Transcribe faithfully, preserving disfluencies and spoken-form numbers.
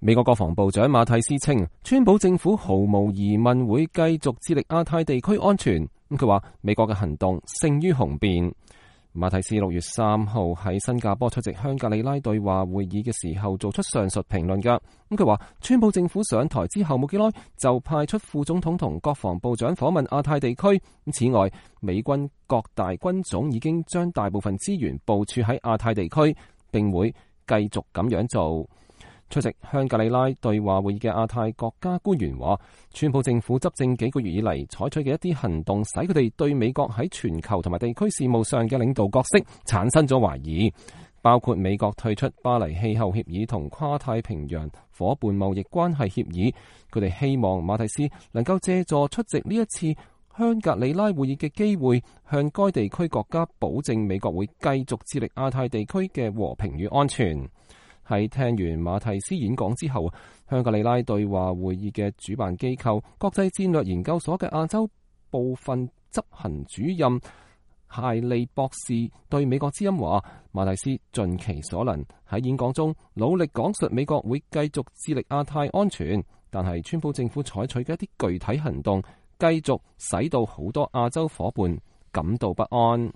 美國國防部長馬蒂斯稱，川普政府毫無疑問會繼續致力亞太地區安全。咁佢話美國嘅行動勝於雄辯。馬蒂斯六月三號喺新加坡出席香格里拉對話會議嘅時候做出上述評論㗎。咁佢話川普政府上台之後冇幾耐就派出副總統同國防部長訪問亞太地區。此外，美軍各大軍種已經將大部分資源部署喺亞太地區，並會繼續咁樣做。出席香格里拉對話會議嘅亞太國家官員話，川普政府執政幾個月以嚟採取嘅一啲行動，使佢哋對美國喺全球同埋地區事務上嘅領導角色產生咗懷疑，包括美國退出巴黎氣候協議同跨太平洋夥伴貿易關係協議。佢哋希望馬蒂斯能夠借助出席呢一次香格里拉會議嘅機會，向該地區國家保證美國會繼續致力亞太地區嘅和平與安全。喺聽完馬蒂斯演講之後，香格里拉對話會議嘅主辦機構國際戰略研究所嘅亞洲部分執行主任謝利博士對美國之音話，馬蒂斯盡其所能喺演講中努力講述美國會繼續致力亞太安全，但係川普政府採取嘅一啲具體行動繼續使到好多亞洲夥伴感到不安。